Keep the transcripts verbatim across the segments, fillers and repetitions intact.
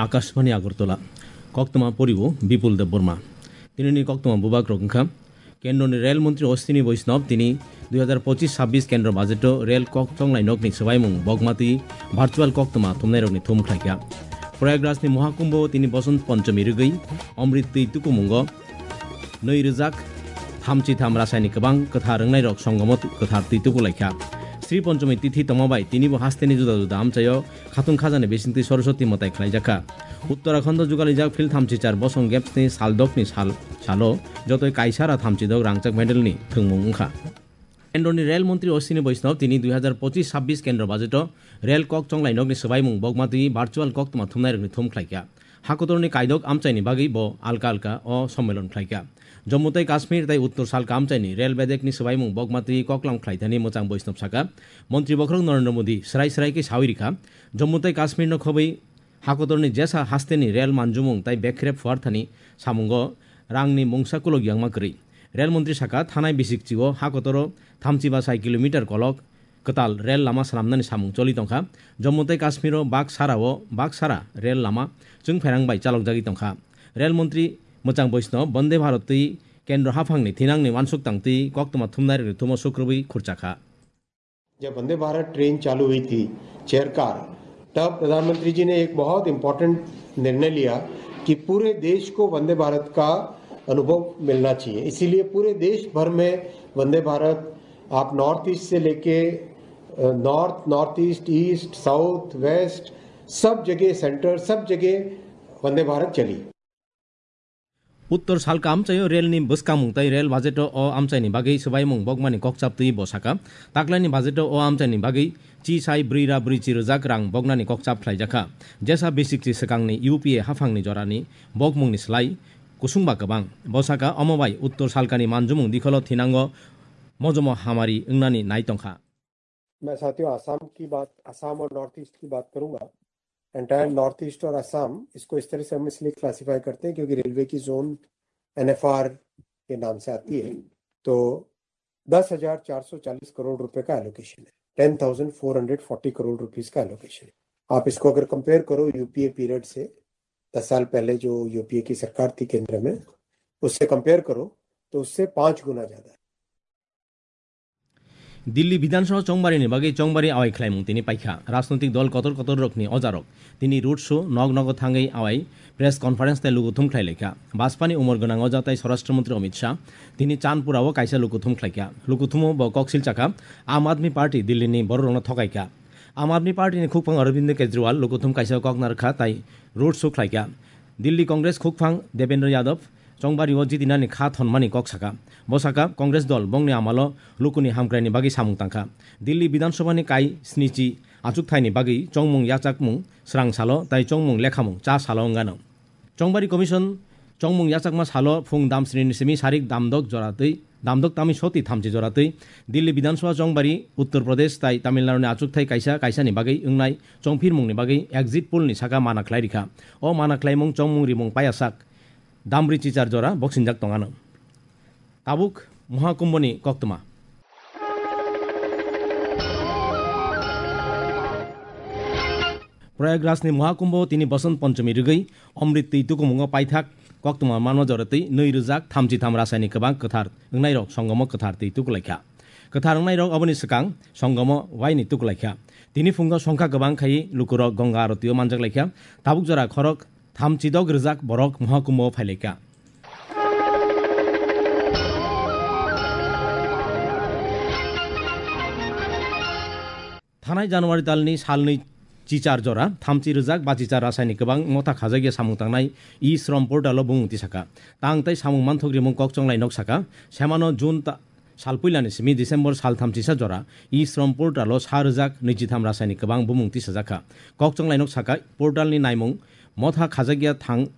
Akashbani Agartala. Koktwma poribo Bipul Debbarma. Tinini koktwma bubak rok wngkha, Kendroni Rel Montri Ashwini Vaishnav tini dui hazar pochishish chabbish Kendro Budgeto rel kok chonglai nokni swbaimung bokmatwi virtual koktwma thumnairokni thum khlaikha. Prayagrajni Mohakumbho tini Bosant Ponchomi rwgwi Amrit twi tukumungo nwi rwjak thamchi tham rasaini kwbang kwthar wngnairok songomo kwthar twi tukulaikha. Sri Ponchomi tithi tongma bai tinibo hasteni juda juda amchaio khatung khajani bisingtwi Saraswati mwtai khlaijakha. Uttarakhando jugalijak phil thamchi char bosong gapsni saldokni sal, salo jotoi kaisara thamchidok rangchak medalni thwngmung wngkha. Kendroni Rel Montri Ashwini Vaishnav tini dui hazar pochishish chabbish Kendro Budgeto rel kok chonglai nokni swbaimung bokmatwi virtual koktwma thumnairokni thum khlaikha. Hakotorni kaidok amchaini bagwi bo alka alka o sommilon khlaikha. Jammu tei Kashmir tei Uttor salka amchaini rel bedekni swbaimung bokmatwi koklam khlaithani mwchang Vaishnav saka, Montri bokhorok Narendra Modi srai srai khe sawi rikha, Jammu tei Kashmirno khobwi hakotorni jesa hasteni rel manjumung tei bekrep phuarthani samungo rangni mungsa kulok yangma kwrwi. Rel montri saka, thanai bisikchio hakotoro thamchi ba sai kilometer kolok kwtal rel lama swnamnani samung choli tongkha. Jammu tei Kashmiro bak sarao bak sara rel lama chwngphairang bai chalokjagwi tongkha. Rel montri mwchang Vaishnav Vande Bharat twi kendro haphangni thinangni uansuk tangtwi koktwma thumnairokni thumo sukrubwi khurchakha. जब वंदे भारत ट्रेन चालू हुई थी, chair car, तब प्रधानमंत्री जी ने एक बहुत इंपॉर्टेंट निर्णय लिया कि पूरे देश को वंदे भारत का अनुभव मिलना चाहिए। इसीलिए पूरे देश भर में वंदे भारत, आप नॉर्थ ईस्ट से लेके, uh, north, north east, east, south, west, सब जगह, सेंटर, सब जगह वंदे भारत चली। Uttor salka amchaio relni bwskamung tei rel budgeto o amchaini bagwi swbaimung bokmani kokchap twi bo saka, taklaini budgeto o amchaini bagwi chi sai brwi ra brwi chi rwjak rang boknani kokchap khlaijakha. Jesa bisikchi swkangni U P A haphangni jorani bokmungni slai kusung ba kwbang. Bo saka, omo bai uttor salkani manjumung dikholo thinango mojomo hamari wngnani nai tongkha. मैं साथियों, आसाम की बात, आसाम और north east की बात करूंगा। Entire north east और आसाम, इसको इस तरह से हम इसलिए क्लासिफाई करते हैं क्योंकि रेलवे की जोन एनएफआर के नाम से आती है। तो दस हजार चार सौ चालीस करोड़ रुपए का एलोकेशन है, ten thousand four hundred forty crore rupees का एलोकेशन है। आप इसको अगर कंपेयर करो यूपीए पीरियड से, दस साल पहले जो यूपीए की सरकार थी केंद्र में, उससे कंपेयर करो तो उससे पांच गुना ज्यादा है। Delhi Bidhan Sabha chongbarini bagwi chongbari awai khlaimung tini paikha. Rajnoitik dol kotor kotor rokni ojarok tini road show, nog nogo thangwi awai press conference tei lukuthum khlai laikha. Bajpani umor gwnang oja tei Swarashtra Mantri Amit Shah tini Chandpura o kaisa lukuthum khlaikha. Lukuthumo bo koksil chakha, Aam Aadmi Party Delhi ni bororokno thokaikha. Aam Aadmi Party ni khukphang Arvind Kejriwal lukuthum kaisa kok narwkha tei road show khlaikha. Delhi Congress khukphang Devendra Yadav chongbario jitinani kha thonmani kok saka. Bo saka, Congress dol bongni amalo lukuni hamkraini bagwi samung tangkha. Delhi Bidhan Sabha ni kai snichi achukthai ni bagwi chongmung yachakmung srang salo tai chongmung lekhamung cha salo wngano. Chongbari Commission chongmung yachakma salo phung damsni ni simi sarik damdok jora twi, damdok tami soti thamchi jora twi Delhi Bidhan Sabha chongbari Uttar Pradesh tai Tamil Nadu ni achukthai kaisa kaisa ni bagwi wngnai chongphirmung ni bagwi exit poll ni saka mana khlai rikha. O mana khlaimung chongmung rimung payasak damri chichar jora boksinjak tongano. Tabuk Mohakumbhoni koktwma. Prayagrajni Mohakumbho tini Bosant Ponchomi rwgwi Omrit twi tukumungo paithak koktwma manma jora twi nwi rwjak thamchi tham rasaini kwbang kwthar wngnairok songomo kwthar twi tukulaikha. Kwthar wngnairok oboni swkang songomo waini tukulaikha. Tini phungo songkha kwbang khai lukurok Ganga arotio manjak laikha. Tabuk jora khorok thamchi dok rwjak borok Mohakumbho phailaikha. Thanai January talni salnwi chichar jora thamchi rwjak bachichar rasaini kwbang motha khajakya samung tangnai e-shram portalo bumung tisaka. Tang tei samung manthok rimung kok chonglai nok saka. Semano June ta-, sal puilani simi December sal thamchisa jora e-shram portalo sa rwjak nwichitham rasaini kwbang bumung tisajakha. Kok chonglai nok saka portalni naimung motha khajakya thang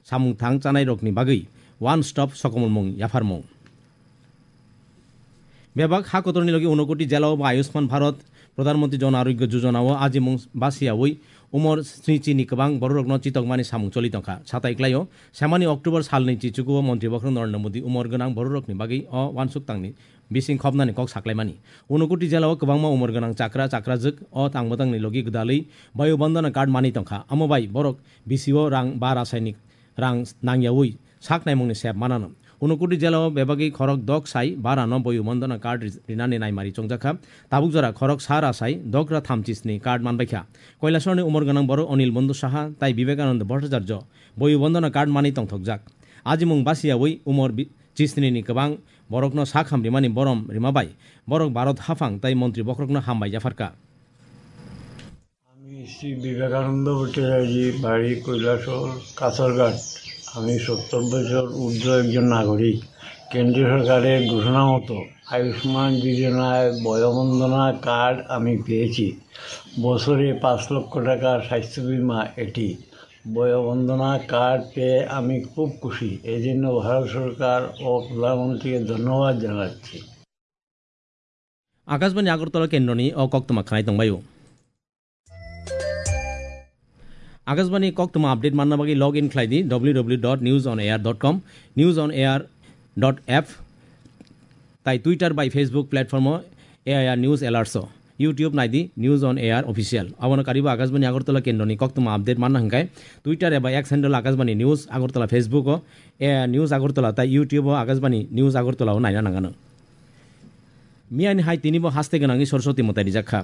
samung thang chanairokni bagwi one stop sokomormung yapharmung. Bebak ha kotorni logi unokoti jelao bo Ayushman Bharat Pradhan Mantri Jan Arogya Yojana o ajimung basiyawi umor snichi ni kwbang bororokno chitokmani samung choli tongkha. Satai klaio, semani October salni chichukuo Montri Bokhorok Narendra Modi umor gwnang bororokni bagwi o uansuk tangni bising khopnani kok saklaimani. Unokoti jela o kwbangma umor gwnang chakra chakrajwk o tangmwtangni logi gwdalwi Bayu Bandana card manwi tongkha. Amo bai borok bisio rang ba rasaini rang nangyawi sak naimungni sep manano. Unokoti jela o bebagwi khorok dok sai barano Bayu Bandana card ri-, rinani naimari chongjakha. Tabuk jora khorok sa rasai dok ra thamchi sni card manbaikha. Kailasharni umor gwnang borok Onil Bondhu Saha tai Vivekananda Bhattacharya Bayu Bandana card manwi tongthokjak. Ajimung basiyawi umor bi-, chisnini kwbang borokno sakham rimani borom rima bai borok Bharat haphang tai montri bokhorokno hambai yapharkha. আমি শ্রী বিবেকানন্দ ভট্টাচার্য, বাড়ি কৈলাসহর, কাছারঘাট। আমি সত্তর বছর ঊর্ধ্ব একজন নাগরিক। কেন্দ্রীয় সরকারের ঘোষণা মতো আয়ুষ্মান যোজনায় বয়োবন্দনা কার্ড আমি পেয়েছি। বছরে পাঁচ লক্ষ টাকার স্বাস্থ্য বীমা এটি। বয়োবন্দনা কার্ড পেয়ে আমি খুব খুশি। এই জন্য ভারত সরকার ও প্রধানমন্ত্রীকে ধন্যবাদ জানাচ্ছি। Akashbani Agartala kendroni o koktwma khnai tongbaio. Akashbani koktwma update manna bagwi log in khlai di w w w dot news on air dot com, news on air dot f, tai Twitter bai Facebook platform o A I R News Alerts o, YouTube nai di News on Air Official. Abono karibo Akashbani Agartala kendroni koktwma update manna hwnkhe Twitter eba X handle Akashbani News Agartala, Facebook o A I R News Agartala tai YouTube o Akashbani News Agartala o naina nangano. Miyani hai tinibo haste gwnangwi Saraswati mwtai rijak kha.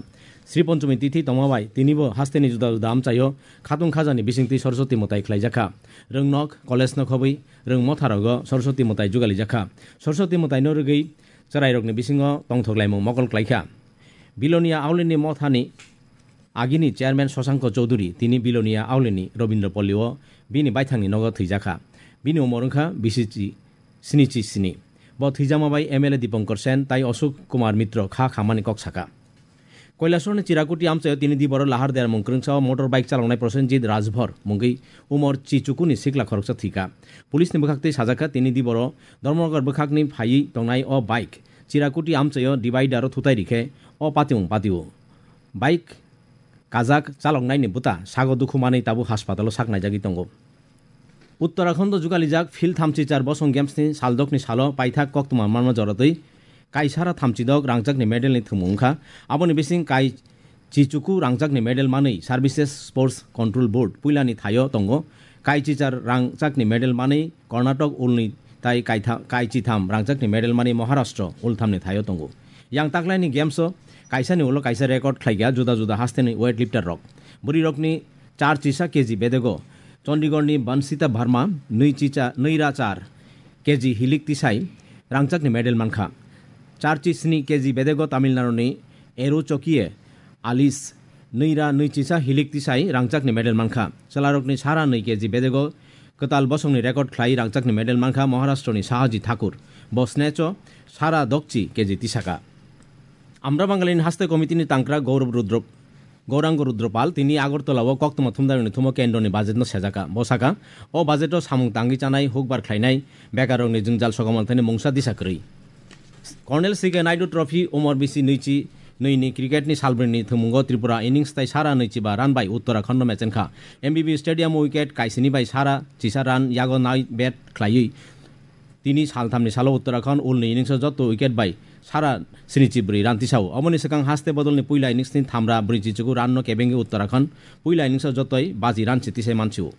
Sri Ponchami tithi tongma bai tinibo hasteni juda juda amchaio khatung khajani bisingtwi Saraswati mwtai khlaijak kha. Rwngnok, college no khobwi rwng motharogo Saraswati mwtai jugalijak kha. Saraswati mwtaino rwgwi chwrairokni bisingo tongthok laimung mokol klaikha. Bilonia Aulini mothani agini chairman Shashanko Chowdhury tini Bilonia Aulini Robindra Pollio bini baithangni nogo thwijakha. Bini umor wngkha bisichi snichi sni. Bo thwijama bai M L A Dipankar Sen tai Ashok Kumar Mitro kha khamani kok saka. Kailasharni Chirakuti amchaio tini diboro lahar dermung kwrwngsa o motor bike chaloknai Prosenjit Rajbhor mungwi umor chichukuni sikla khoroksa thwikha. Police ni bwkhaktwi sajakha tini diboro Dharmanagar bwkhakni phaiwi tongnai o bike Chirakuti amchaio divider o thutai rikhe o patiung patio. Bike kajak chaloknaini bwta sago dukhu manwi tabuk haspatalo sak naijagwi tongo. Uttarakhando jugalijak Phil thamchi char bosong games ni saldokni salo paithak koktwma manma joratwi kaisara thamchi dok rangchakni medal ni thwngmung wngkha. Aboni bising kai chichuku rangchakni medal manwi Services Sports Control Board puilani thaio tongo. Kai chichar rangchakni medal manwi Karnataka ulni tai kaitha-, kai chitham rangchakni medal manwi Maharashtra ulthamni thaio tongo. Yang taklaini games o kaisani ulo kaisa record khlaikha juda juda hasteni weightlifter rok. Bwrwi rokni char chisa K G bedego Chandigarhni Bansita Verma nwi chicha, nwi ra char K G hilik tisai rangchakni medal mankha. Char chi sni K G bedego Tamil Naduni Eru Chokie Alice nwi ra nwi chisa hilik tisai rangchakni medal mankha. Chwlarokni sara nwi K G bedego kwtal bosongni record khlai rangchakni medal mankha Maharashtrani Sahaji Thakur. Bo snatch o sara dokchi K G tisaka. Amra Bangalini haste committee ni tangkra Gaurav Rudra, Gauranga Rudrapal tini Agartala o koktwma thumdairokni thumo kendroni budget no sejaka. Bo saka, o budget o samung tangwi chanai, hukbar khlainai, bekarrokni jwngjal sokomorthani mungsa disa kwrwi. Colonel C K Naidu Trophy umor bisi nwichi nwi ni cricket ni salbrwini thwngmungo Tripura innings tai sara nwichi ba run bai Uttarakhand no mechenkha. M B B Stadium o wicket kaisini bai sara chisa run yago nai bat khlaiwi tini salthamni salo Uttarakhand ulni innings o joto wicket bai sara snichi bwrwi run tisao. Omoni swkang haste bodolni puila innings ni thamra bwrwi chichuku run no kebengwi Uttarakhand puila innings o jotoi baji run se tisai mansio.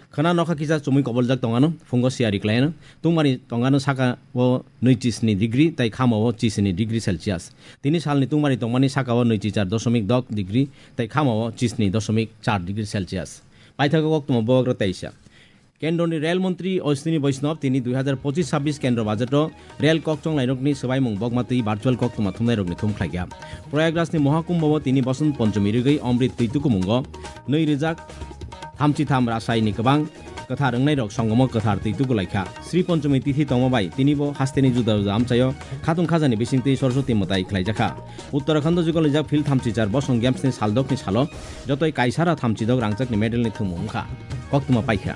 Khwna nokha kisa chumui koboljak tongano, phungo siyari khlaino. Tungmani tongano saka o nwi chi sni degree tai khama o chi sni degree Celsius. Tini salni tungmani tongmani saka o nwi chi char dosomik dok degree tai khama o chi sni dosomik char degree Celsius. Paithago koktwma bubagra teisa. Kendroni Rail Montri Ashwini Vaishnaw tini dui hazar pochis sabbish kendro budget o Rail kokchong lairokni swbaimung bokmatwi virtual koktwma thumnairokni thum khlaikha. Prayagrajni Mohakumbho o tini Bosant Ponchomi rigwi Amrit twi tukumungo nwi rijak thamchi tham rasaini kwbang kwthar wngnairok songomo kwthar twi tukulaikha. Sri Ponchomi tithi tongma bai tinibo hasteni juda juda amchaio khatung khajani bisingtwi Saraswati mwtai khlaijakha. Uttarakhando jugalijak Phil thamchi char bosong games ni saldokni salo jotoi kaisara thamchi dok rangchakni medal ni thwngmung wngkha. Koktwma paikha.